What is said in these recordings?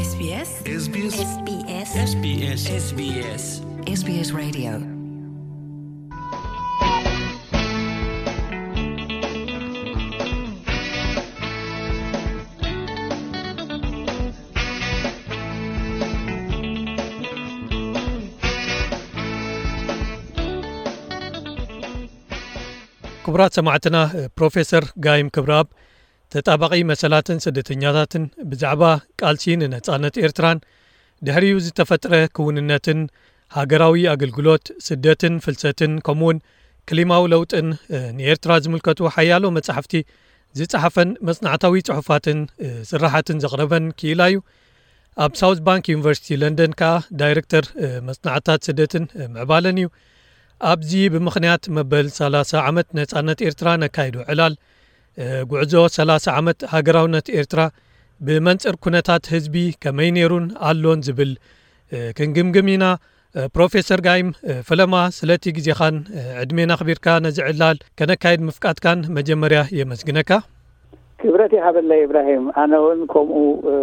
SBS SBS SBS SBS SBS Radio. ክቡራት ሰማዕትና፣ ፕሮፌሰር ጋይም ክብረኣብ፣ ተጣባቒ መሰላትን ስደተኛታትን፣ ብዛዕባ ቃልሲ ንነጻነት ኤርትራን ድሕሪኡ ዝተፈጥረ ክውንነትን፣ ሃገራዊ ኣገልግሎት፣ ስደትን ፍልሰትን፣ ከምኡውን ክሊማዊ ለውጥን፣ እ፣ ንኤርትራ ዝምልከቱ ሓያሎ መጻሕፍቲ ዝጸሓፈን መጽናዕታዊ ጽሑፋትን፣ እ፣ ስራሓትን ዘቕረበን ክኢላ እዩ። ኣብ ሳውዝ ባንክ ዩኒቨርሲቲ ለንደን ከኣ ዳይረክተር፣ እ፣ መጽናዕትታት ስደትን፣ እ፣ ምዕባለን እዩ። ኣብዚ ብምኽንያት መበል ሰላሳ ዓመት ነጻነት ኤርትራ ነካይዶ ዕላል፣ እ፣ ጉዕዞ ሰላሳ ዓመት ሃገራውነት ኤርትራ ብመንጽር ኩነታት ህዝቢ ከመይ ነይሩን ኣሎን ዝብል፣ እ፣ ክንግምግም ኢና። እ፣ ፕሮፌሰር ጋይም፣ እ፣ ፈለማ ስለቲ ግዜኻን፣ እ፣ ዕድሜን ኣኽቢርካ ነዚ ዕላል ከነካይድ ምፍቃድካን መጀመርያ የመስግነካ። ክብረት ይሃበለይ ኢብራሂም፣ ኣነ እውን ከምኡ፣ እ፣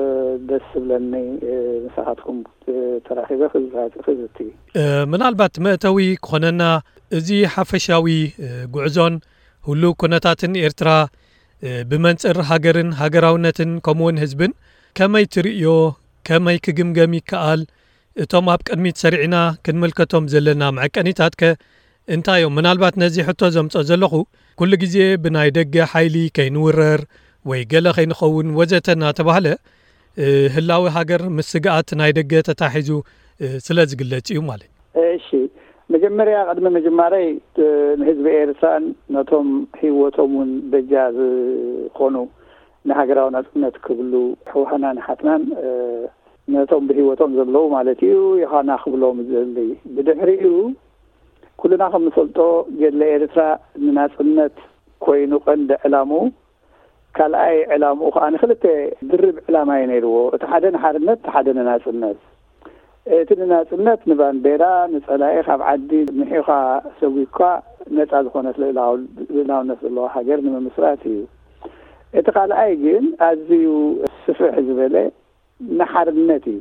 ደስ ዝብለኒ፣ እ፣ ምሳኻትኩም፣ እ፣ ተራኺበ ክዝቲ። እ፣ ምናልባት መእተዊ ክኾነና፣ እዚ ሓፈሻዊ፣ እ፣ ጉዕዞን ህሉው ኩነታትን ኤርትራ፣ እ፣ ብመንጽር ሃገርን ሃገራውነትን ከምኡውን ህዝብን ከመይ ትርእዮ፣ ከመይ ክግምገም ይከኣል? እቶም ኣብ ቅድሚት ሰሪዕና ክንምልከቶም ዘለና መዐቀኒታት ከ እንታይ እዮም? ምናልባት ነዚ ሕቶ ዘምጾ ዘለኹ፣ ኩሉ ግዜ ብናይ ደገ ሓይሊ ከይንውረር ወይ ገለ ከይንኸውን ወዘተ እናተባህለ፣ እ፣ ህላዊ ሃገር ምስ ስግኣት ናይ ደገ ተታሒዙ፣ እ፣ ስለ ዝግለጽ እዩ ማለት። እሺ፣ መጀመርያ ቅድሚ ምጅማረይ፣ እ፣ ንህዝቢ ኤርትራን ነቶም ህይወቶም እውን በጃ ዝኾኑ ንሃገራዊ ናጽነት ክብሉ ኣሕዋትናን ኣሓትናን፣ እ፣ ነቶም ብህይወቶም ዘለዉ ማለት እዩ፣ ይኻና ክብሎም ዝደሊ። ብድሕሪኡ ኩልና ከም ንፈልጦ ገድሊ ኤርትራ ንናጽነት ኮይኑ ቀንዲ ዕላምኡ፣ ካልኣይ ዕላምኡ ከኣ ንክልተ ድርብ ዕላማ እዩ ነይርዎ። እቲ ሓደ ንሓርነት፣ እቲ ሓደ ንናጽነት። እቲ ንናጽነት ንባንዴራ፣ ንጸላኢ ካብ ዓዲ ምሒኻ ሰጒግካ ነጻ ዝኾነት ልእላው-፣ ልእላውነት ዘለዋ ሃገር ንምምስራት እዩ። እቲ ካልኣይ ግን ኣዝዩ ስፍሕ ዝበለ ንሓርነት እዩ።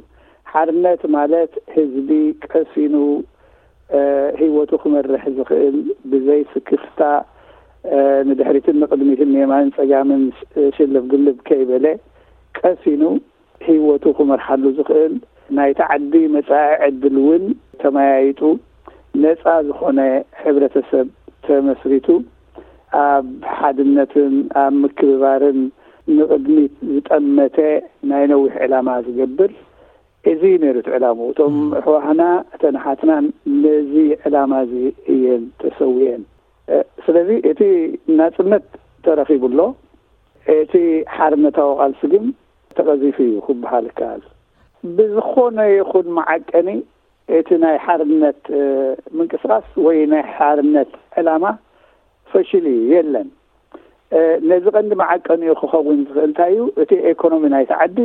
ሓርነት ማለት ህዝቢ ቀሲኑ፣ እ፣ ህይወቱ ክመርሕ ዝኽእል፣ ብዘይ ስክፍታ፣ እ፣ ንድሕሪትን ንቕድሚትን ንየማንን ጸጋምን ሽ-፣ ሽልብ ግልብ ከይበለ ቀሲኑ ህይወቱ ክመርሓሉ ዝኽእል፣ ናይቲ ዓዲ መጻኢ ዕድል እውን ተመያይጡ፣ ነጻ ዝኾነ ሕብረተሰብ ተመስሪቱ፣ ኣብ ሓድነትን ኣብ ምክብባርን ንቕድሚት ዝጠመተ ናይ ነዊሕ ዕላማ ዝገብር፣ እዚ እዩ ነይሩ እቲ ዕላምኡ። እቶም ኣሕዋትና፣ እተን ኣሓትናን ነዚ ዕላማ እዚ እየን ተሰዊአን። እ፣ ስለዚ እቲ ናጽነት ተረኺቡ ኣሎ፣ እቲ ሓርነታዊ ቃልሲ ግን ተቐዚፉ እዩ ክበሃል ይከኣል። ብዝኾነ ይኹን መዓቀኒ እቲ ናይ ሓርነት፣ እ፣ ምንቅስቓስ ወይ ናይ ሓርነት ዕላማ ፈሽሉ እዩ፣ የለን። እ፣ ነዚ ቀንዲ መዓቀኒኡ ክኸውን ዝኽእል እንታይ እዩ? እቲ ኤኮኖሚ ናይቲ ዓዲ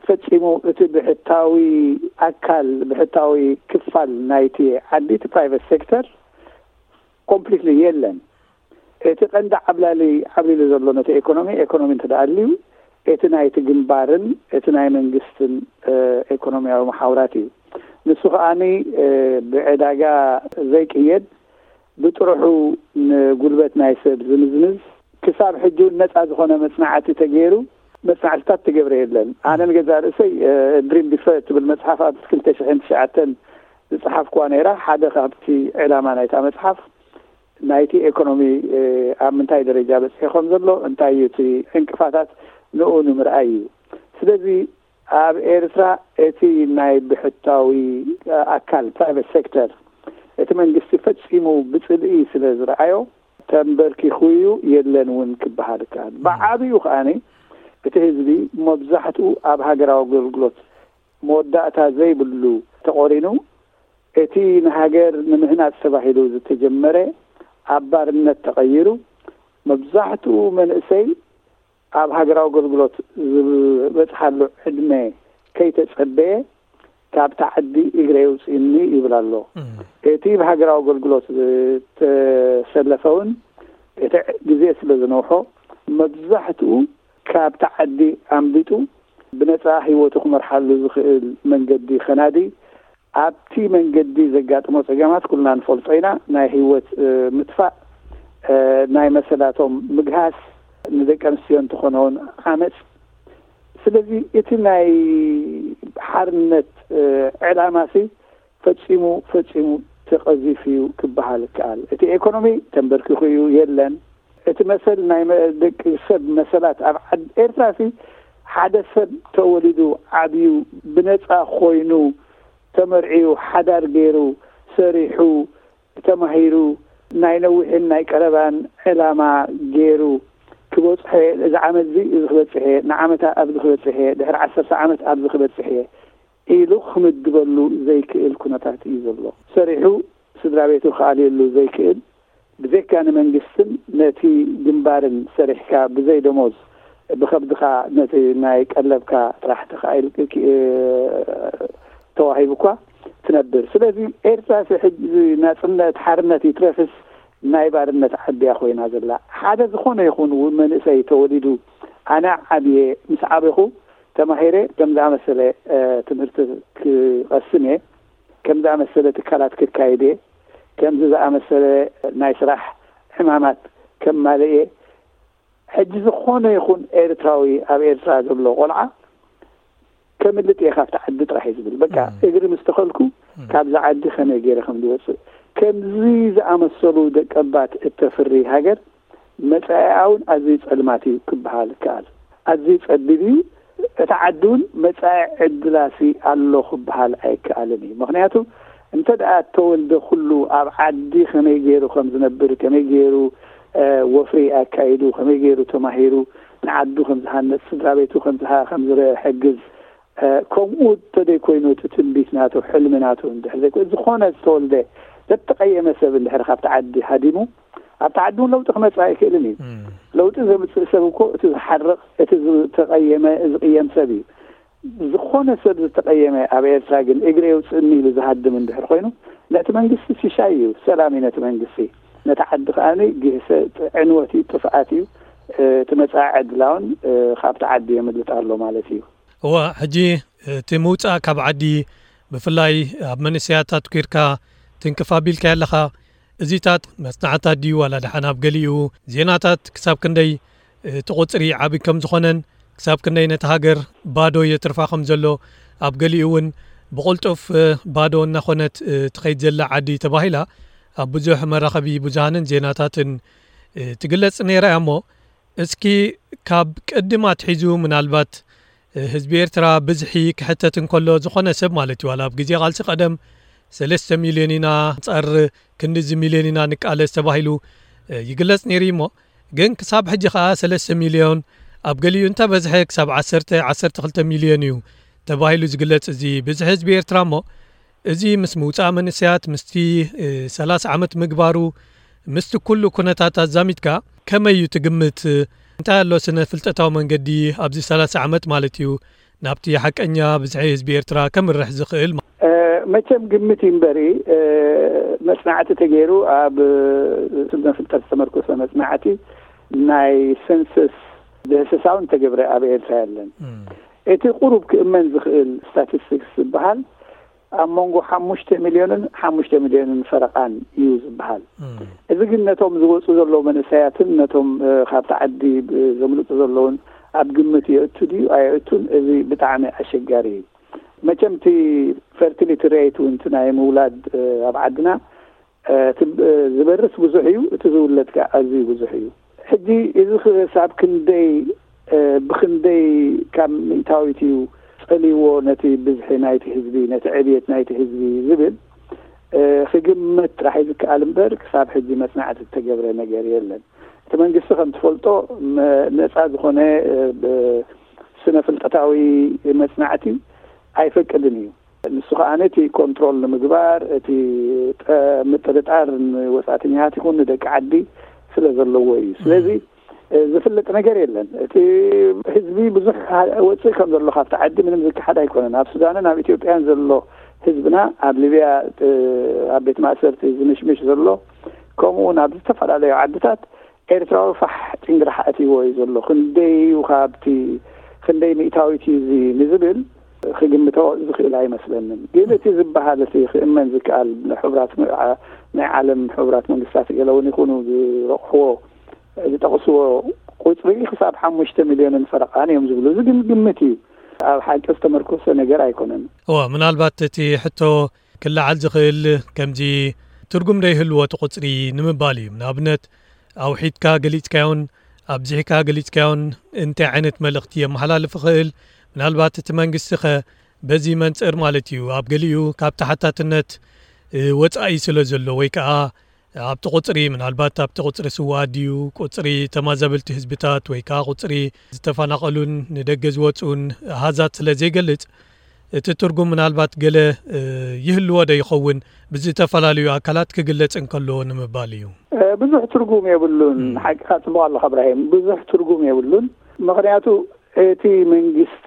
ፈጺሙ፣ እቲ ብሕታዊ ኣካል፣ ብሕታዊ ክፋል ናይቲ ዓዲ፣ እቲ ፕራይቨት ሴክተር ኮምፕሊትሊ የለን። እቲ ቀንዲ ዓብላሊ ዓብሊሉ ዘሎ ነቲ ኤኮኖሚ፣ ኤኮኖሚ እንተ ደኣ ኣልዩ፣ እቲ ናይቲ ግንባርን እቲ ናይ መንግስትን፣ እ፣ ኤኮኖሚያዊ መሓውራት እዩ። ንሱ ከኣኒ፣ እ፣ ብዕዳጋ ዘይቅየድ፣ ብጥርሑ ንጉልበት ናይ ሰብ ዝምዝምዝ፣ ክሳብ ሕጂ እውን ነጻ ዝኾነ መጽናዕቲ ተገይሩ መጽናዕትታት ትገብረ የለን። ኣነ ንገዛእ ርእሰይ፣ እ፣ ድሪም ቢፈር እትብል መጽሓፍ ኣብ ክልተ ሽሕን ትሽዓተን ዝጸሓፍኩዋ ነይራ። ሓደ ካብቲ ዕላማ ናይታ መጽሓፍ ናይቲ ኤኮኖሚ፣ እ፣ ኣብ ምንታይ ደረጃ በጺሑ ከም ዘሎ፣ እንታይ እዩ እቲ ዕንቅፋታት፣ ንኡ ንምርኣይ እዩ። ስለዚ ኣብ ኤርትራ እቲ ናይ ብሕታዊ ኣካል፣ ፕራይቨት ሴክተር፣ እቲ መንግስቲ ፈጺሙ ብጽልኢ ስለ ዝረኣዮ፣ ተንበርኪኹ እዩ፣ የለን እውን ክበሃል ይከኣል። ብዓብዩ ከኣኒ እቲ ህዝቢ መብዛሕትኡ ኣብ ሃገራዊ ኣገልግሎት መወዳእታ ዘይብሉ ተቖሪኑ፣ እቲ ንሃገር ንምህናጽ ተባሂሉ ዝተጀመረ ኣብ ባርነት ተቐይሩ፣ መብዛሕትኡ መንእሰይ ኣብ ሃገራዊ ኣገልግሎት ዝበጽሓሉ ዕድመ ከይተጸበየ፣ ካብታ ዓዲ እግረ የውጽእኒ ይብል ኣሎ። እም። እቲ ብሃገራዊ ኣገልግሎት ዝተሰለፈ እውን እቲ ግዜ ስለ ዝነውሖ፣ መብዛሕትኡ ካብታ ዓዲ ኣምሊጡ ብነጻ ህይወቱ ክመርሓሉ ዝኽእል መንገዲ ከናዲ፣ ኣብቲ መንገዲ ዘጋጥሞ ጸገማት ኩልና ንፈልጦ ኢና። ናይ ህይወት ምጥፋእ፣ ናይ መሰላቶም ምግሃስ፣ ንደቂ ኣንስትዮ እንተኾነ እውን ዓመጽ። ስለዚ እቲ ናይ ሓርነት ዕላማሲ ፈጺሙ ፈጺሙ ተቐዚፉ እዩ ክበሃል ይከኣል። እቲ ኤኮኖሚ ተንበርኪኹ እዩ፣ የለን። እቲ መሰል ናይ ደቂ ሰብ መሰላት ኣብ ዓድ ኤርትራሲ ሓደ ሰብ ተወሊዱ ዓብዩ ብነጻ ኮይኑ ተመርዕዩ ሓዳር ገይሩ ሰሪሑ ተማሂሩ ናይ ነዊሕን ናይ ቀረባን ዕላማ ገይሩ ክበጽሐ፣ እዚ ዓመት እዚ እዚ ክበጽሐ፣ ንዓመታ ኣብዚ ክበጽሐ፣ ድሕሪ ዓሰርተ ዓመት ኣብዚ ክበጽሐ ኢሉ ክምድበሉ ዘይክእል ኩነታት እዩ ዘሎ። ሰሪሑ ስድራ ቤቱ ክኣልየሉ ዘይክእል፣ ብዘይካ ንመንግስትን ነቲ ግንባርን ሰሪሕካ ብዘይ ደሞዝ ብኸብድኻ ነቲ ናይ ቀለብካ ጥራሕ ተኻኢል ተዋሂቡኳ ትነብር። ስለዚ ኤርትራ ሕጂ ናጽነት ሓርነት ይትረፍስ ናይ ባርነት ዓድያ ኮይና ዘላ። ሓደ ዝኾነ ይኹን መንእሰይ ተወሊዱ ኣነ ዓብየ ምስ ዓበኹ ተማሂረ ከም ዝኣመሰለ ትምህርቲ ክቐስም እየ፣ ከም ዝኣመሰለ ትካላት ክካይድ እየ፣ ከምዚ ዝኣመሰለ ናይ ስራሕ ሕማማት ከማልእ እየ። ሕጂ ዝኾነ ይኹን ኤርትራዊ ኣብ ኤርትራ ዘሎ ቆልዓ ከምልጥ እየ ካብቲ ዓዲ ጥራሕ እዩ ዝብል። በቃ እግሪ ምስ ተኸልኩ ካብዚ ዓዲ ከመይ ገይረ ከም ዝወፅእ። ከምዚ ዝኣመሰሉ ደቀባት እተፍሪ ሃገር መጻኢኣ እውን ኣዝዩ ጸልማት እዩ ክበሃል ይከኣል። ኣዝዩ ጸቢብ እዩ። እቲ ዓዲ እውን መጻኢ ዕድላሲ ኣሎ ክበሃል ኣይከኣልን እዩ። ምኽንያቱ እንተ ደኣ እተወልደ ኩሉ ኣብ ዓዲ ከመይ ገይሩ ከም ዝነብር፣ ከመይ ገይሩ ወፍሪ ኣካይዱ፣ ከመይ ገይሩ ተማሂሩ ንዓዱ ከም ዝሃነጽ፣ ስድራ ቤቱ ከም ዝሃ-፣ ከም ዝሕግዝ፣ ከምኡ እንተደይ ኮይኑ እቲ ትንቢት ናቱ፣ ሕልሚ ናቱ እንድሕር ዘይኮ-፣ ዝኾነ ዝተወልደ ዘተቐየመ ሰብ እንድሕር ካብቲ ዓዲ ሃዲሙ ኣብቲ ዓዲ እውን ለውጢ ክመጽእ ኣይክእልን እዩ። ለውጢ ዘምጽእ ሰብ እኮ እቲ ዝሓርቕ፣ እቲ ዝተቐየመ፣ ዝቕየም ሰብ እዩ። ዝኾነ ሰብ ዝተቐየመ ኣብ ኤርትራ ግን እግረ የውፅእኒ ኢሉ ዝሃድም እንድሕር ኮይኑ ነቲ መንግስቲ ሽሻይ እዩ፣ ሰላም እዩ ነቲ መንግስቲ። ነቲ ዓዲ ከኣ ግህሰ ዕንወት እዩ፣ ጥፍኣት እዩ። እቲ መጻኢ ዕድላውን ካብቲ ዓዲ የምልጥ ኣሎ ማለት እዩ። እዋ፣ ሕጂ እቲ ምውጻእ ካብ ዓዲ ብፍላይ ኣብ መንእሰያት ኣትኲርካ ትንክፍ ኣቢልካዮ ኣለኻ። እዚታት መጽናዕታት ድዩ ዋላ ደሓን ኣብ ገሊኡ ዜናታት ክሳብ ክንደይ እቲ ቁጽሪ ዓቢ ከም ዝኾነን ክሳብ ክንደይ ነቲ ሃገር ባዶ የትርፋ ከም ዘሎ ኣብ ገሊኡ እውን ብቕልጡፍ ባዶ እናኾነት ትኸይድ ዘላ ዓዲ ተባሂላ ኣብ ብዙሕ መራኸቢ ብዙሃንን ዜናታትን ትግለጽ ነይራ እያ። እሞ እስኪ ካብ ቅድም ኣትሒዙ ምናልባት ህዝቢ ኤርትራ ብዝሒ ክሕተት እንከሎ ዝኾነ ሰብ ማለት እዩ፣ ዋላ ኣብ ግዜ ቃልሲ ቀደም ሰለስተ ሚልዮን ኢና፣ ኣንጻር ክንድዚ ሚልዮን ኢና ንቃለስ ተባሂሉ ይግለጽ ነይሩ እዩ። እሞ ግን ክሳብ ሕጂ ከኣ ሰለስተ ሚልዮን ኣብ ገሊኡ እንተበዝሐ ክሳብ ዓሰርተ፣ ዓሰርተ ክልተ ሚልዮን እዩ ተባሂሉ ዝግለጽ እዚ ብዝሒ ህዝቢ ኤርትራ። እሞ እዚ ምስ ምውጻእ መንእሰያት፣ ምስቲ ሰላሳ ዓመት ምግባሩ፣ ምስቲ ኩሉ ኩነታት ኣዛሚድካ ከመይ እዩ ትግምት? እንታይ ኣሎ ስነ ፍልጠታዊ መንገዲ ኣብዚ ሰላሳ ዓመት ማለት እዩ ናብቲ ሓቀኛ ብዝሒ ህዝቢ ኤርትራ ከምርሕ ዝኽእል? መቸም ግምት እዩ እምበሪ፣ መጽናዕቲ ተገይሩ ኣብ ስነ ፍልጠት ዝተመርኮሰ መጽናዕቲ ናይ ሰንሰስ ድህሰሳውን ተገብረ ኣብ ኤርትራ የለን። እቲ ቁሩብ ክእመን ዝኽእል ስታቲስቲክስ ዝበሃል ኣብ መንጎ ሓሙሽተ ሚልዮንን ሓሙሽተ ሚልዮንን ፈረቓን እዩ ዝበሃል። እዚ ግን ነቶም ዝወፁ ዘለዉ መንእሰያትን ነቶም ካብቲ ዓዲ ዘምልጡ ዘለውን ኣብ ግምት የእቱ ድዩ ኣየእቱን፣ እዚ ብጣዕሚ ኣሸጋሪ እዩ። መቸም እቲ ፈርቲሊቲ ሬት እውን እቲ ናይ ምውላድ ኣብ ዓድና እቲ ዝበርስ ብዙሕ እዩ፣ እቲ ዝውለድ ከኣ ኣዝዩ ብዙሕ እዩ። ሕጂ እዚ ክሳብ ክንደይ ብኽንደይ ካብ ሚእታዊት እዩ ጸልይዎ ነቲ ብዝሒ ናይቲ ህዝቢ፣ ነቲ ዕብየት ናይቲ ህዝቢ ዝብል ክግመት ጥራሕ እዩ ዝከኣል እምበር ክሳብ ሕጂ መጽናዕቲ ዝተገብረ ነገር የለን። እቲ መንግስቲ ከም ትፈልጦ ነጻ ዝኾነ ስነ ፍልጠታዊ መጽናዕቲ ኣይፈቅድን እዩ። ንሱ ከኣ ነቲ ኮንትሮል ንምግባር እቲ ምጥርጣር ንወጻእተኛታት ይኹን ንደቂ ዓዲ ስለ ዘለዎ እዩ። ስለዚ ዝፍለጥ ነገር የለን። እቲ ህዝቢ ብዙሕ ወፅእ ከም ዘሎ ካብቲ ዓዲ ምንም ዝከሓድ ኣይኮነን። ኣብ ሱዳንን ኣብ ኢትዮጵያን ዘሎ ህዝብና ኣብ ሊብያ ኣብ ቤት ማእሰርቲ ዝምሽምሽ ዘሎ ከምኡ እውን ኣብ ዝተፈላለዩ ዓድታት ኤርትራዊ ፋሕ ጭንግራሕ ኣትይዎ እዩ ዘሎ። ክንደይ እዩ ካብቲ ክንደይ ሚእታዊት እዩ እዚ ንዝብል ክግምቶ ዝኽእል ኣይመስለንን። ግን እቲ ዝበሃል፣ እቲ ክእመን ዝከኣል፣ ሕቡራት ም-፣ ዓ-፣ ናይ ዓለም ሕቡራት መንግስታት ገለ እውን ይኹኑ ዝረቑሕዎ፣ ዝጠቕስዎ ቁፅሪ ክሳብ ሓሙሽተ ሚልዮንን ፈረቓን እዮም ዝብሉ። እዚ ግን ግምት እዩ፣ ኣብ ሓቂ ዝተመርኮሰ ነገር ኣይኮነን። እወ፣ ምናልባት እቲ ሕቶ ክለዓል ዝኽእል ከምዚ ትርጉም ዘይህልዎ እቲ ቁፅሪ ንምባል እዩ። ንኣብነት፣ ኣውሒድካ ገሊፅካዮን ኣብዚሕካ ገሊፅካዮን እንታይ ዓይነት መልእኽቲ የመሓላልፍ ይኽእል? ምናልባት እቲ መንግስቲ ኸ በዚ መንፅር ማለት እዩ፣ ኣብ ገሊኡ ካብ ተሓታትነት፣ እ፣ ወፃኢ ስለ ዘሎ፣ ወይ ከዓ ኣብቲ ቁፅሪ፣ ምናልባት ኣብቲ ቁፅሪ ስውኣት ድዩ፣ ቁፅሪ ተመዛበልቲ ህዝብታት፣ ወይ ከዓ ቁፅሪ ዝተፈናቐሉን ንደገ ዝወፅኡን ኣሃዛት ስለ ዘይገልፅ፣ እቲ ትርጉም ምናልባት ገለ፣ እ፣ ይህልዎ ዶ ይኸውን? ብዝተፈላለዩ ኣካላት ክግለጽ እንከሎ ንምባል እዩ። እ፣ ብዙሕ ትርጉም የብሉን። እም። ሓቅኻ፣ ጽቡቕ ኣለኻ እብራሂም። ብዙሕ ትርጉም የብሉን። ምኽንያቱ እቲ መንግስቲ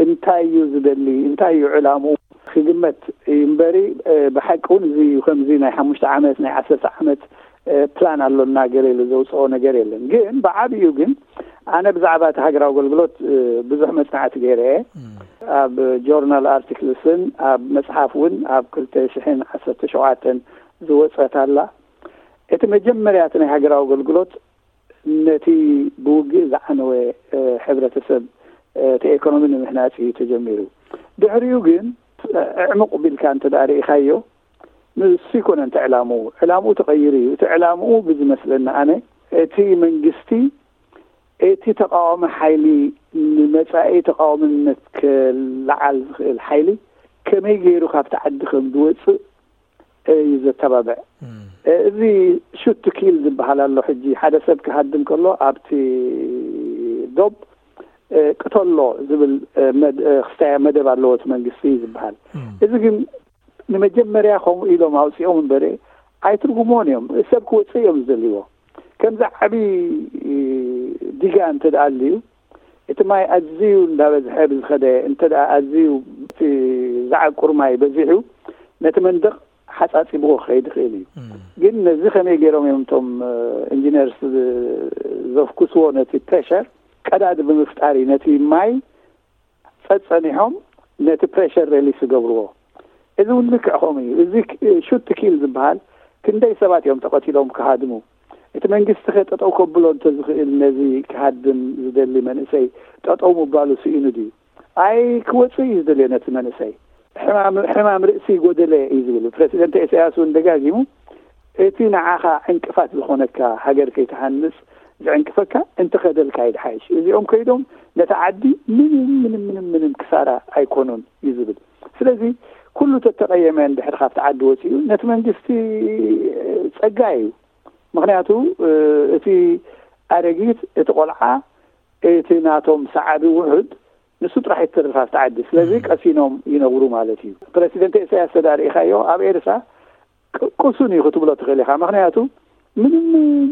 እንታይ እዩ ዝደሊ፣ እንታይ እዩ ዕላምኡ ክግመት እዩ እምበሪ፣ እ፣ ብሓቂ እውን እዚ እዩ፣ ከምዚ ናይ ሓሙሽተ ዓመት፣ ናይ ዓሰርተ ዓመት፣ እ፣ ፕላን ኣሎና ገለ ኢሉ ዘውፅኦ ነገር የለን። ግን ብዓብዩ ግን ኣነ ብዛዕባ እቲ ሃገራዊ ኣገልግሎት፣ እ፣ ብዙሕ መጽናዕቲ ገይረ እየ። እም። ኣብ ጆርናል ኣርቲክልስን ኣብ መጽሓፍ እውን ኣብ ክልተ ሽሕን ዓሰርተ ሸውዓተን ዝወጸት ኣላ። እቲ መጀመርያ እቲ ናይ ሃገራዊ ኣገልግሎት ነቲ ብውግእ ዝዓነወ፣ እ፣ ሕብረተሰብ፣ እ፣ እቲ ኤኮኖሚ ንምህናጽ እዩ ተጀሚሩ። ድሕሪኡ ግን፣ እ፣ ዕሙቕ ቢልካ እንተ ደኣ ርኢኻዮ፣ ንሱ ይኮነን እቲ ዕላምኡ። ዕላምኡ ተቐይሩ እዩ። እቲ ዕላምኡ ብዝመስለኒ ኣነ፣ እቲ መንግስቲ እቲ ተቃዋሚ ሓይሊ ንመጻኢ ተቃዋምነት ክለዓል ዝኽእል ሓይሊ ከመይ ገይሩ ካብቲ ዓዲ ከም ዝወጽእ እዩ ዘተባብዕ። እም። እዚ ሹት ቱ ኪል ዝበሃል ኣሎ። ሕጂ ሓደ ሰብ ክሃድም ከሎ ኣብቲ ዶብ፣ እ፣ ቅተሎ ዝብል፣ እ፣ መድ-፣ እ፣ ክስታያ መደብ ኣለዎ እቲ መንግስቲ ዝበሃል። እም። እዚ ግን ንመጀመርያ ከምኡ ኢሎም ኣውጺኦም እምበረ ኣይትርጉምዎን እዮም። ሰብ ክወጽእ እዮም ዝደልይዎ። ከምዚ ዓቢ ዲጋ እንተ ደኣ ኣልዩ፣ እቲ ማይ ኣዝዩ እንዳበዝሐ ብዝኸደ፣ እንተ ደኣ ኣዝዩ እቲ ዝዓቁር ማይ በዚሑ፣ ነቲ መንደቕ ሓጻጺብዎ ክኸይድ ይኽእል እዩ። እም። ግን ነዚ ከመይ ገይሮም እዮም እቶም፣ እ፣ ኢንጂነርስ ዝ-፣ ዘፍኩስዎ? ነቲ ፕሬሸር ቀዳዲ ብምፍጣር እዩ ነቲ ማይ ጸጸኒሖም ነቲ ፕሬሸር ሬሊስ ዝገብርዎ። እዚ እውን ልክዕ ከምኡ እዩ። እዚ ክ-፣ ሹት ቱ ኪል ዝበሃል፣ ክንደይ ሰባት እዮም ተቐቲሎም ክሃድሙ? እቲ መንግስቲ ከ ጠጠው ከብሎ እንተዝኽእል ነዚ ክሃድም ዝደሊ መንእሰይ ጠጠው ምባሉ ስኢኑ ድዩ? ኣይ ክወጽእ እዩ ዝደልዮ ነቲ መንእሰይ። ሕማም፣ ሕማም ርእሲ ጎደለ እዩ ዝብል። ፕረሲደንት ኢሳያስ እውን ደጋጊሙ፣ እቲ ንዓኻ ዕንቅፋት ዝኾነካ፣ ሃገር ከይትሃንጽ ዝዕንቅፈካ እንተኸደልካ እዩ ድሓይሽ። እዚኦም ከይዶም ነቲ ዓዲ ምንም፣ ምንም፣ ምንም፣ ምንም ክሳራ ኣይኮኑን እዩ ዝብል። ስለዚ ኩሉ ተተቐየመ እንድሕር ካብቲ ዓዲ ወጺኡ ነቲ መንግስቲ ጸጋ እዩ። ምኽንያቱ፣ እ፣ እቲ ኣረጊት፣ እቲ ቆልዓ፣ እቲ ናቶም ሰዓቢ ውሑድ ንሱ ጥራሕ ይትርፍ ኣብቲ ዓዲ። ስለዚ እም። ቀሲኖም ይነብሩ ማለት እዩ። ፕረሲደንት ኢሳያስ ተዳሪእኻዮ ኣብ ኤርትራ ቅ-፣ ቅሱን እዩ ክትብሎ ትኽእል ኢኻ። ምኽንያቱ ምንም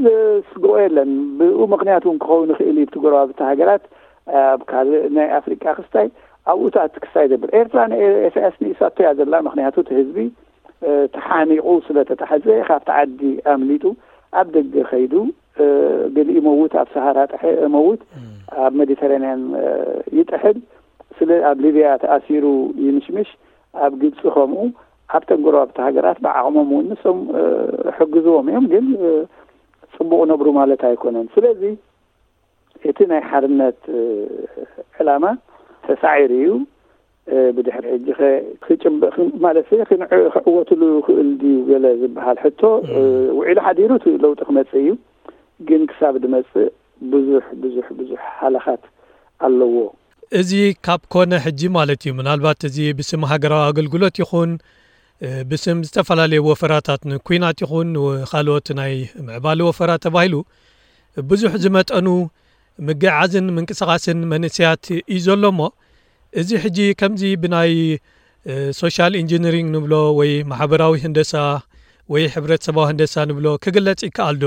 ዘስግኦ የለን። ብኡ ምኽንያት እውን ክኸውን ይኽእል እዩ። እቲ ጎረባብቲ ሃገራት ኣብ ካልእ ናይ ኣፍሪቃ ክስታይ ኣብኡታት ክስታይ ዘብል። ኤርትራ ንኤ-፣ ኢሳያስ ንኢሳቶ እያ ዘላ። ምኽንያቱ እቲ ህዝቢ፣ እ፣ ተሓኒቑ ስለ ተታሕዘ ካብቲ ዓዲ ኣምሊጡ ኣብ ደገ ከይዱ፣ እ፣ ገሊኡ ይመውት፣ ኣብ ሰሃራ ጥሐ-፣ መውት፣ እም። ኣብ ሜዲተራንያን፣ እ፣ ይጥሕል። ስለ ኣብ ሊብያ ተኣሲሩ ይምሽምሽ፣ ኣብ ግብጺ ከምኡ፣ ኣብተን ጎረባብቲ ሃገራት ብዓቕሞም እውን ንሶም፣ እ፣ ሕግዝዎም እዮም፣ ግን፣ እ፣ ጽቡቕ ነብሩ ማለት ኣይኮነን። ስለዚ እቲ ናይ ሓርነት፣ እ፣ ዕላማ ተሳዒሩ እዩ። እ፣ ብድሕሪ ሕጂ ኸ ክጭበ-፣ ክ-፣ ማለት ክንዕ-፣ ክዕወትሉ ይኽእል ድዩ ገለ ዝበሃል ሕቶ፣ እ፣ እም። ውዒሉ ሓዲሩ እቲ ለውጢ ክመጽእ እዩ። ግን ክሳብ ድመጽእ ብዙሕ፣ ብዙሕ፣ ብዙሕ ሃለኻት ኣለዎ። እዚ ካብ ኮነ ሕጂ ማለት እዩ፣ ምናልባት እዚ ብስም ሃገራዊ ኣገልግሎት ይኹን፣ እ፣ ብስም ዝተፈላለዩ ወፈራታት ንኲናት ይኹን ንኻልኦት ናይ ምዕባለ ወፈራ ተባሂሉ ብዙሕ ዝመጠኑ ምግዓዝን ምንቅስቓስን መንእሰያት እዩ ዘሎ እሞ፣ እዚ ሕጂ ከምዚ ብናይ፣ እ፣ ሶሻል ኢንጂነሪንግ ንብሎ ወይ ማሕበራዊ ህንደሳ ወይ ሕብረተሰባዊ ህንደሳ ንብሎ ክግለጽ ይከኣል ዶ?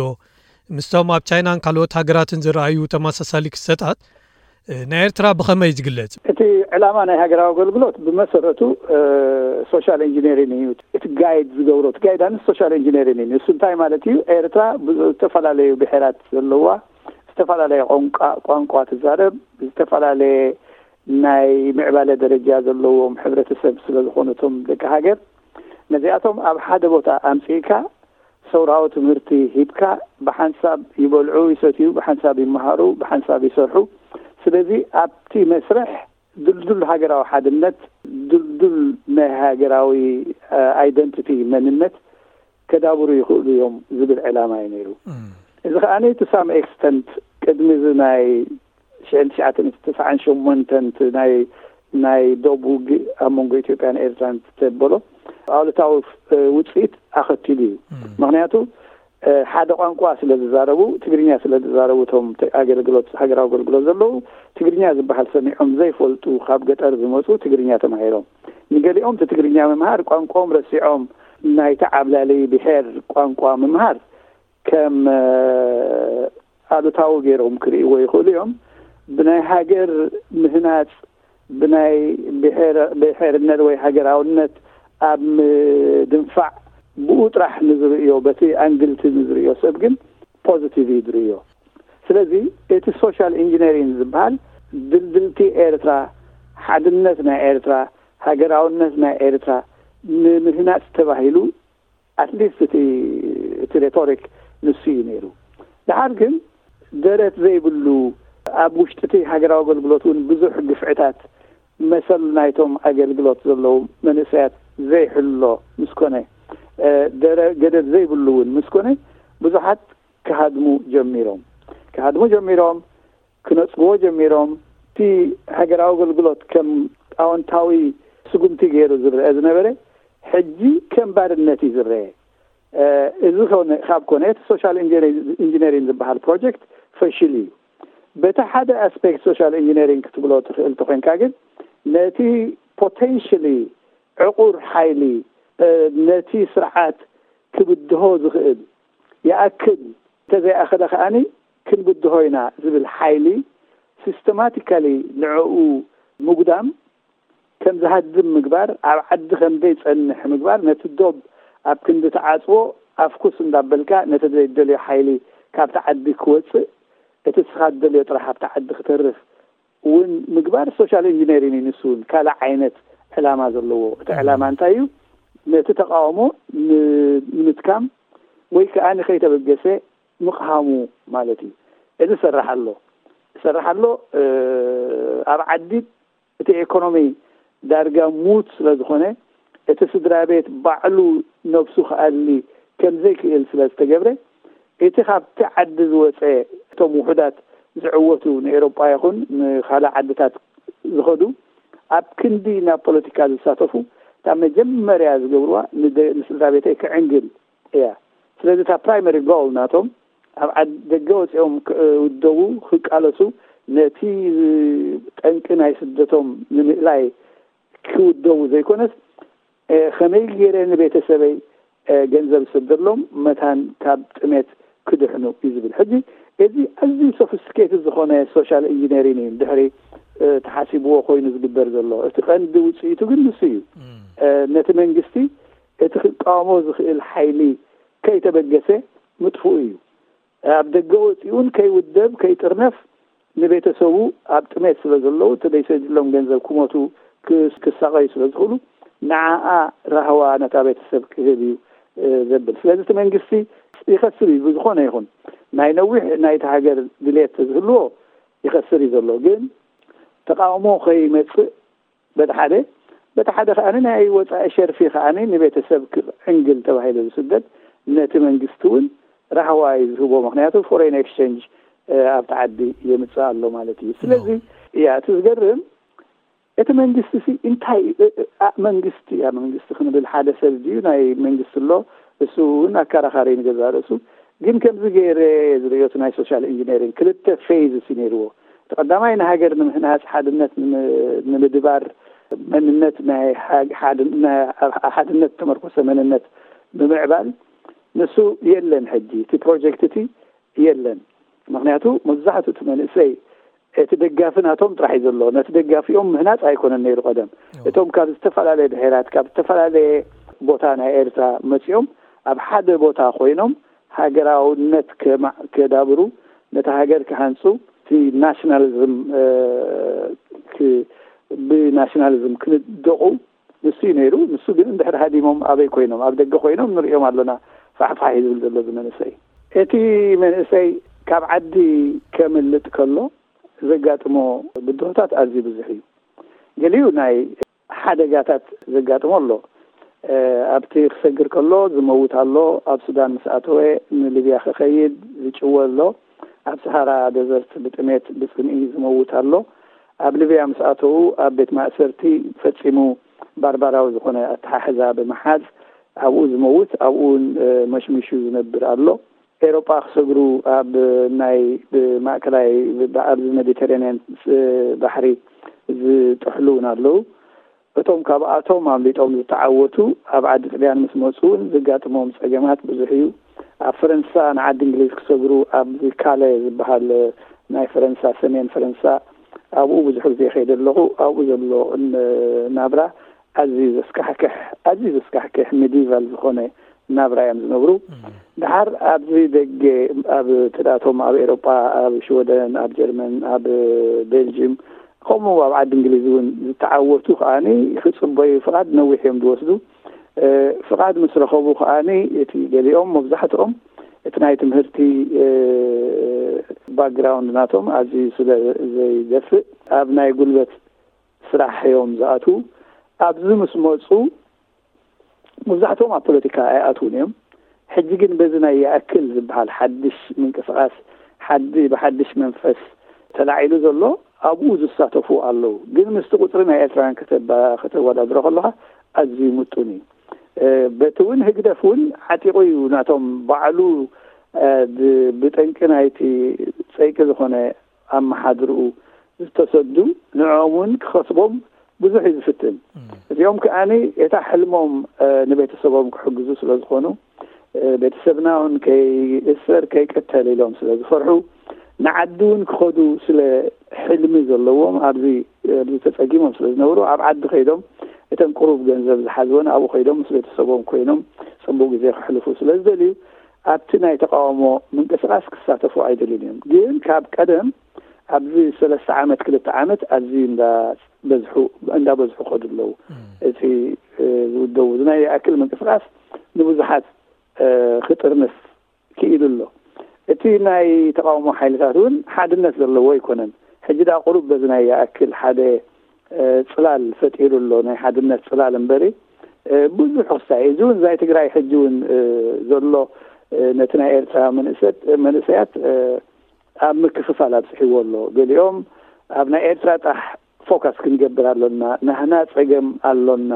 ምስቶም ኣብ ቻይናን ካልኦት ሃገራትን ዝረኣዩ ተመሳሳሊ ክስተታት፣ እ፣ ናይ ኤርትራ ብኸመይ ዝግለጽ? እቲ ዕላማ ናይ ሃገራዊ ኣገልግሎት ብመሰረቱ፣ እ፣ ሶሻል ኢንጂነሪንግ እዩ። እቲ ጋይድ ዝገብሮ፣ እቲ ጋይዳንስ ሶሻል ኢንጂነሪንግ እዩ። ንሱ እንታይ ማለት እዩ? ኤርትራ ብዝተፈላለዩ ብሔራት ዘለዋ፣ ዝተፈላለየ ቋንቋ፣ ቋንቋ ትዛረብ፣ ዝተፈላለየ ናይ ምዕባለ ደረጃ ዘለዎም ሕብረተሰብ ስለ ዝኾኑ እቶም ደቂ ሃገር፣ ነዚኣቶም ኣብ ሓደ ቦታ ኣምጺእካ ሰውራዊ ትምህርቲ ሂብካ ብሓንሳብ ይበልዑ፣ ይሰትዩ፣ ብሓንሳብ ይመሃሩ፣ ብሓንሳብ ይሰርሑ። ስለዚ ኣብቲ መስርሕ ድልዱል ሃገራዊ ሓድነት፣ ድልዱል ናይ ሃገራዊ ኣይደንቲቲ መንነት ከዳብሩ ይኽእሉ እዮም ዝብል ዕላማ እዩ ነይሩ። እዚ ከኣ to some extent ቅድሚ እዚ ናይ ሽሕን ትሽዓተን ተስዓን ሸሞንተን ናይ ናይ ዶብ ውግእ ኣብ መንጎ ኢትዮጵያን ኤርትራን ዝተበሎ ኣሉታዊ ውፅኢት ኣኸቲሉ እዩ። ምክንያቱ ሓደ ቋንቋ ስለ ዝዛረቡ፣ ትግርኛ ስለ ዝዛረቡ፣ እቶም ኣገልግሎት ሃገራዊ ኣገልግሎት ዘለዉ ትግርኛ ዝበሃል ሰሚዖም ዘይፈልጡ፣ ካብ ገጠር ዝመፁ ትግርኛ ተማሂሮም፣ ንገሊኦም እቲ ትግርኛ ምምሃር ቋንቋኦም ረሲዖም፣ ናይቲ ዓብላሊ ብሔር ቋንቋ ምምሃር ከም ኣሉታዊ ገይሮም ክርእይዎ ይኽእሉ እዮም። ብናይ ሃገር ምህናፅ፣ ብናይ ብሔርነት ወይ ሃገራውነት ኣብ ምድንፋዕ ብኡ ጥራሕ ንዝርእዮ፣ በቲ ኣንግልቲ ንዝርእዮ ሰብ ግን ፖዚቲቭ እዩ ዝርእዮ። ስለዚ እቲ ሶሻል ኢንጂነሪንግ ዝበሃል ድልድልቲ ኤርትራ፣ ሓድነት ናይ ኤርትራ፣ ሃገራውነት ናይ ኤርትራ ንምህናፅ ተባሂሉ ኣትሊስት እቲ እቲ ሬቶሪክ ንሱ እዩ ነይሩ። ድሓር ግን ደረት ዘይብሉ፣ ኣብ ውሽጢ እቲ ሃገራዊ ኣገልግሎት እውን ብዙሕ ግፍዕታት መሰል ናይቶም ኣገልግሎት ዘለዉ መንእሰያት ዘይሕሎ ምስ ኮነ፣ ደረ ገደብ ዘይብሉ እውን ምስ ኮነ፣ ብዙሓት ክሃድሙ ጀሚሮም። ክሃድሙ ጀሚሮም፣ ክነጽግዎ ጀሚሮም። እቲ ሃገራዊ ኣገልግሎት ከም ኣወንታዊ ስጉምቲ ገይሩ ዝረአ ዝነበረ፣ ሕጂ ከም ባርነት እዩ ዝረአ። እዚ ኮነ ካብ ኮነ፣ እቲ ሶሻል ኢንጂነሪንግ ዝበሃል ፕሮጀክት ፈሽል እዩ። በቲ ሓደ ኣስፔክት ሶሻል ኢንጂነሪንግ ክትብሎ ትኽእል ተኾይንካ ግን፣ ነቲ ፖቴንሽሊ ዕቑር ሓይሊ፣ ነቲ ስርዓት ክብድሆ ዝኽእል ይኣክል፣ እንተዘይኣኸለ ከኣኒ ክንብድሆ ኢና ዝብል ሓይሊ ሲስተማቲካሊ ንዕኡ ምጉዳም፣ ከም ዝሃድም ምግባር፣ ኣብ ዓዲ ከም ዘይጸንሕ ምግባር፣ ነቲ ዶብ ኣብ ክንዲ ትዓጽዎ ኣፍኩስ እንዳበልካ ነቲ ዘይደልዮ ሓይሊ ካብቲ ዓዲ ክወጽእ፣ እቲ ንስኻ ትደልዮ ጥራሕ ኣብቲ ዓዲ ክተርፍ እውን ምግባር ሶሻል ኢንጂነሪንግ እዩ። ንሱ እውን ካልእ ዓይነት ዕላማ ዘለዎ። እቲ ዕላማ እንታይ እዩ? ነቲ ተቃውሞ ን-፣ ንምትካም ወይ ከዓ ንኸይተበገሰ ምቕሃሙ ማለት እዩ። እዚ ይሰርሕ ኣሎ፣ ይሰርሕ ኣሎ። እ፣ ኣብ ዓዲ እቲ ኢኮኖሚ ዳርጋ ሙት ስለ ዝኾነ፣ እቲ ስድራ ቤት ባዕሉ ነብሱ ክኣሊ ከም ዘይክእል ስለ ዝተገብረ፣ እቲ ካብቲ ዓዲ ዝወፀ፣ እቶም ውሑዳት ዝዕወቱ፣ ንኤሮጳ ይኹን ንኻልእ ዓድታት ዝኸዱ፣ ኣብ ክንዲ ናብ ፖለቲካ ዝሳተፉ፣ እታ መጀመርያ ዝገብርዋ ንደ-፣ ንስድራ ቤተይ ክዕንግል እያ። ስለዚ እታ ፕራይመሪ ጎል ናቶም፣ ኣብ ዓድ-፣ ደገ ወፂኦም ክውደቡ፣ ክቃለሱ፣ ነቲ ጠንቂ ናይ ስደቶም ንምእላይ ክውደቡ ዘይኮነስ፣ እ፣ ከመይ ገይረ ንቤተሰበይ፣ እ፣ ገንዘብ ዝስደሎም መታን ካብ ጥሜት ክድሕኑ እዩ ዝብል። ሕጂ እዚ ኣዝዩ ሶፊስቲኬትድ ዝኾነ ሶሻል ኢንጂነሪንግ እዩ። ድሕሪ፣ እ፣ ተሓሲብዎ ኮይኑ ዝግበር ዘሎ። እቲ ቀንዲ ውፅኢቱ ግን ንሱ እዩ። እ፣ ነቲ መንግስቲ እቲ ክቃወሞ ዝኽእል ሓይሊ ከይተበገሰ ምጥፍኡ እዩ። ኣብ ደገ ወፂኡን ከይውደብ፣ ከይጥርነፍ፣ ንቤተሰቡ ኣብ ጥሜት ስለ ዘለዉ፣ እቲ ዘይሰድሎም ገንዘብ ክሞቱ፣ ክስ-፣ ክሳቐዩ ስለ ዝኽእሉ፣ ንዓኣ ራህዋ ነታ ቤተሰብ ክህብ እዩ፣ እ፣ ዘብል። ስለዚ እቲ መንግስቲ ይኸስር እዩ፣ ብዝኾነ ይኹን። ናይ ነዊሕ ናይቲ ሃገር ድሌት ዝህልዎ ይኸስር እዩ ዘሎ። ግን ተቃውሞ ከይመጽእ በቲ ሓደ፣ በቲ ሓደ ከኣ ናይ ወጻኢ ሸርፊ ከኣ ንቤተሰብ ክዕንግል ተባሂሉ ዝስደድ፣ ነቲ መንግስቲ እውን ራህዋ እዩ ዝህቦ። ምክንያቱ ፎሬን ኤክስቼንጅ፣ እ፣ ኣብቲ ዓዲ የምጽእ ኣሎ ማለት እዩ። ስለዚ፣ እያ፣ እቲ ዝገርም፣ እቲ መንግስቲ ሲ እንታይ፣ እ፣ እ፣ ኣ-፣ መንግስቲ፣ እያ፣ መንግስቲ ክንብል ሓደ ሰብ ድዩ? ናይ መንግስቲ ኣሎ፣ እሱ እውን ኣከራኻሪ ንገዛእ ርእሱ። ግን ከምዚ ገይረ ዝርእዮ፣ እቲ ናይ ሶሻል ኢንጂነሪንግ ክልተ ፌዝስ እዩ ነይርዎ። እቲ ቀዳማይ ንሃገር ንምህናጽ፣ ሓድነት ንም-፣ ንምድባር፣ መንነት ናይ ሓ-፣ ሓድ-፣ ናይ ሓድነት ተመርኮሰ መንነት ንምዕባል፣ ንሱ የለን። ሕጂ እቲ ፕሮጀክት እቲ የለን። ምክንያቱ መብዛሕትኡ እቲ መንእሰይ እቲ ደጋፊ ናቶም ጥራሕ እዩ ዘሎ። ነቲ ደጋፊኦም ምህናጽ ኣይኮነን ነይሩ ቀደም። እቶም ካብ ዝተፈላለየ ብሔራት፣ ካብ ዝተፈላለየ ቦታ ናይ ኤርትራ መጺኦም ኣብ ሓደ ቦታ ኮይኖም ሃገራውነት ከማ-፣ ከዳብሩ፣ ነታ ሃገር ክሃንጹ፣ እቲ ናሽናሊዝም፣ እ፣ ክ-፣ ብናሽናሊዝም ክልደቑ ንሱ እዩ ነይሩ። ንሱ ግን እንድሕር ሃዲሞም ኣበይ ኮይኖም? ኣብ ደገ ኮይኖም ንሪኦም ኣለና። ፋሕፋሕ እዩ ዝብል ዘሎ እዚ መንእሰይ። እቲ መንእሰይ ካብ ዓዲ ከምልጥ ከሎ ዘጋጥሞ ብድሆታት ኣዝዩ ብዙሕ እዩ። ገሊኡ ናይ ሓደጋታት ዘጋጥሞ ኣሎ። ኣብቲ ክሰግር ከሎ ዝመውት ኣሎ። ኣብ ሱዳን ምስ ኣተወ ንሊብያ ክኸይድ ዝጭወ ኣሎ። ኣብ ሰሃራ ደዘርት ብጥሜት ብጽምኢ ዝመውት ኣሎ። ኣብ ሊብያ ምስ ኣተዉ ኣብ ቤት ማእሰርቲ ፈጺሙ ባርባራዊ ዝኾነ ኣተሓሕዛ ብምሓዝ ኣብኡ ዝመውት፣ ኣብኡ እውን መሽሚሹ ዝነብር ኣሎ። ኤሮጳ ክሰግሩ ኣብ ናይ ብማእከላይ ኣብዚ ሜዲተራንያን ባሕሪ ዝጥሕሉ እውን ኣለዉ። እቶም ካብኣቶም ኣምሊጦም ዝተዓወቱ ኣብ ዓዲ ጥልያን ምስ መፁ እውን ዘጋጥሞም ፀገማት ብዙሕ እዩ። ኣብ ፈረንሳ ንዓዲ እንግሊዝ ክሰግሩ ኣብዚ ካለ ዝበሃል ናይ ፈረንሳ ሰሜን ፈረንሳ ኣብኡ ብዙሕ ግዜ ከይደ ኣለኹ። ኣብኡ ዘሎ ናብራ ኣዝዩ ዘስካሕክሕ ኣዝዩ ዘስካሕክሕ ሜዲቫል ዝኾነ ናብራ እዮም ዝነብሩ። ድሓር ኣብዚ ደገ ኣብ ትዳቶም ኣብ ኤሮጳ ኣብ ሽወደን ኣብ ጀርመን ኣብ ቤልጅም ከምኡ ኣብ ዓዲ እንግሊዝ እውን ዝተዓወቱ ከዓኒ ክፅበዩ ፍቓድ ነዊሕ እዮም ዝወስዱ። ፍቓድ ምስ ረኸቡ ከዓኒ እቲ ገሊኦም መብዛሕትኦም እቲ ናይ ትምህርቲ ባክግራውንድ ናቶም ኣዝዩ ስለ ዘይደፍእ ኣብ ናይ ጉልበት ስራሕ እዮም ዝኣትዉ። ኣብዚ ምስ መፁ መብዛሕትኦም ኣብ ፖለቲካ ኣይኣትዉን እዮም። ሕጂ ግን በዚ ናይ ይኣክል ዝበሃል ሓድሽ ምንቅስቃስ ሓዲ ብሓድሽ መንፈስ ተላዒሉ ዘሎ ኣብኡ ዝሳተፉ ኣለዉ። ግን ምስቲ ቁፅሪ ናይ ኤርትራውያን ከተባ- ከተወዳድሮ ከለኻ ኣዝዩ ምጡን እዩ። በቲ እውን ህግደፍ እውን ዓጢቑ እዩ ናቶም ባዕሉ ብጠንቂ ናይቲ ፀይቂ ዝኾነ ኣመሓድርኡ ዝተሰዱ ንዕኦም እውን ክኸስቦም ብዙሕ እዩ ዝፍትን። እዚኦም ከዓኒ እታ ሕልሞም ንቤተሰቦም ክሕግዙ ስለ ዝኾኑ ቤተሰብና እውን ከይእሰር ከይቀተል ኢሎም ስለ ዝፈርሑ ንዓዲ እውን ክኸዱ ስለ ሕልሚ ዘለዎም ኣብዚ ኣብዚ ተፀጊሞም ስለ ዝነብሩ ኣብ ዓዲ ከይዶም እተን ቁሩብ ገንዘብ ዝሓዝወን ኣብኡ ከይዶም ምስ ቤተሰቦም ኮይኖም ፅቡቅ ግዜ ክሕልፉ ስለ ዝደልዩ ኣብቲ ናይ ተቃውሞ ምንቅስቃስ ክሳተፉ ኣይደልዩን እዮም። ግን ካብ ቀደም ኣብዚ ሰለስተ ዓመት ክልተ ዓመት ኣዝዩ እንዳበዝሑ እንዳበዝሑ ከዱ ኣለዉ። እቲ ዝውደቡ ናይ ይኣክል ምንቅስቃስ ንብዙሓት ክጥርንፍ ክኢሉ ኣሎ። እቲ ናይ ተቃውሞ ሓይልታት እውን ሓድነት ዘለዎ ኣይኮነን። ሕጂ ዳ ቁሩብ በዚ ናይ ይኣክል ሓደ ፅላል ፈጢሩ ኣሎ ናይ ሓድነት ፅላል እምበሪ ብዙሕ ክሳይ እዚ እውን ናይ ትግራይ ሕጂ እውን ዘሎ ነቲ ናይ ኤርትራ መንእሰያት ኣብ ምክፍፋል ኣብፅሕዎ ኣሎ። ገሊኦም ኣብ ናይ ኤርትራ ጥራሕ ፎካስ ክንገብር ኣሎና። ናህና ፀገም ኣሎና።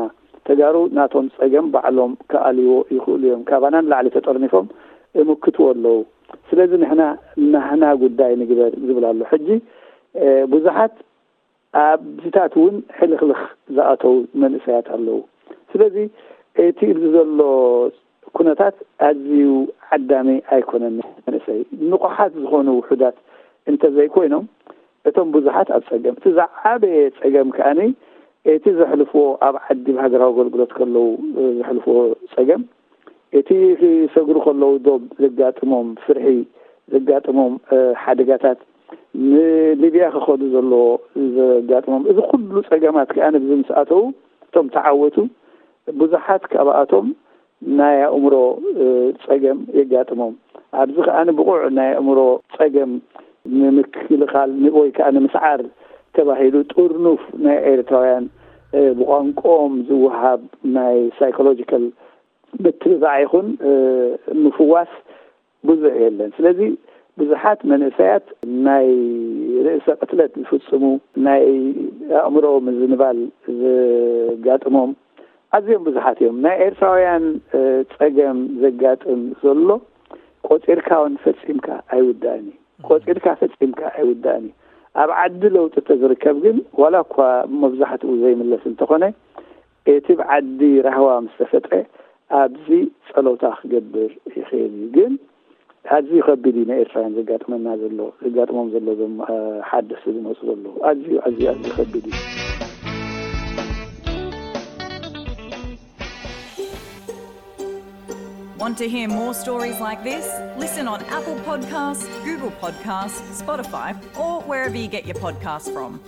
ተጋሩ ናቶም ፀገም ባዕሎም ክኣልይዎ ይኽእሉ እዮም። ካባና ንላዕሊ ተጠርኒፎም እምክትዎ ኣለዉ። ስለዚ ንሕና ናህና ጉዳይ ንግበር ዝብል ኣሎ። ሕጂ ብዙሓት ኣብዚታት እውን ሕልኽልኽ ዝኣተዉ መንእሰያት ኣለዉ። ስለዚ እቲ ኣብዚ ዘሎ ኩነታት ኣዝዩ ዓዳሚ ኣይኮነን። መንእሰይ ንቑሓት ዝኾኑ ውሑዳት እንተዘይኮይኖም እቶም ብዙሓት ኣብ ፀገም እቲ ዝዓበየ ፀገም ከዓኒ እቲ ዘሕልፍዎ ኣብ ዓዲ ብሃገራዊ ኣገልግሎት ከለዉ ዘሕልፍዎ ፀገም እቲ ክሰግሩ ከለዉ ዶብ ዘጋጥሞም ፍርሒ ዘጋጥሞም ሓደጋታት ንሊብያ ክኸዱ ዘለዎ ዘጋጥሞም እዚ ኩሉ ፀገማት ከዓኒ ብዚ ምስ ኣተዉ እቶም ተዓወቱ ብዙሓት ካብኣቶም ናይ ኣእምሮ ፀገም የጋጥሞም። ኣብዚ ከኣ ብቑዕ ናይ ኣእምሮ ፀገም ንምክልኻል ወይ ከዓ ንምስዓር ተባሂሉ ጥርኑፍ ናይ ኤርትራውያን ብቋንቋኦም ዝወሃብ ናይ ሳይኮሎጂካል ምትብባዕ ይኹን ምፍዋስ ብዙሕ የለን። ስለዚ ብዙሓት መንእሰያት ናይ ርእሰ ቅትለት ዝፍፅሙ ናይ ኣእምሮ ምዝንባል ዘጋጥሞም ኣዝዮም ብዙሓት እዮም። ናይ ኤርትራውያን ፀገም ዘጋጥም ዘሎ ቆፂርካ እውን ፈፂምካ ኣይውዳእን እዩ። ቆፂርካ ፈፂምካ ኣይውዳእን እዩ። ኣብ ዓዲ ለውጢ ተዝርከብ ግን ዋላ እኳ መብዛሕትኡ ዘይምለስ እንተኾነ እቲ ብዓዲ ራህዋ ምስ ተፈጥረ ኣብዚ ፀሎታ ክገብር ይኽእል እዩ። ግን ኣዝዩ ከቢድ እዩ ንኤርትራውያን ዘጋጥመና ዘሎ ዘጋጥሞም ዘሎ ዞም ሓደስቲ ዝመፁ ዘለዉ ኣዝዩ ኣዝዩ ኣዝዩ ከቢድ እዩ። Want to hear more stories like this? Listen on Apple Podcasts, Google Podcasts, Spotify, or wherever you get your podcasts from.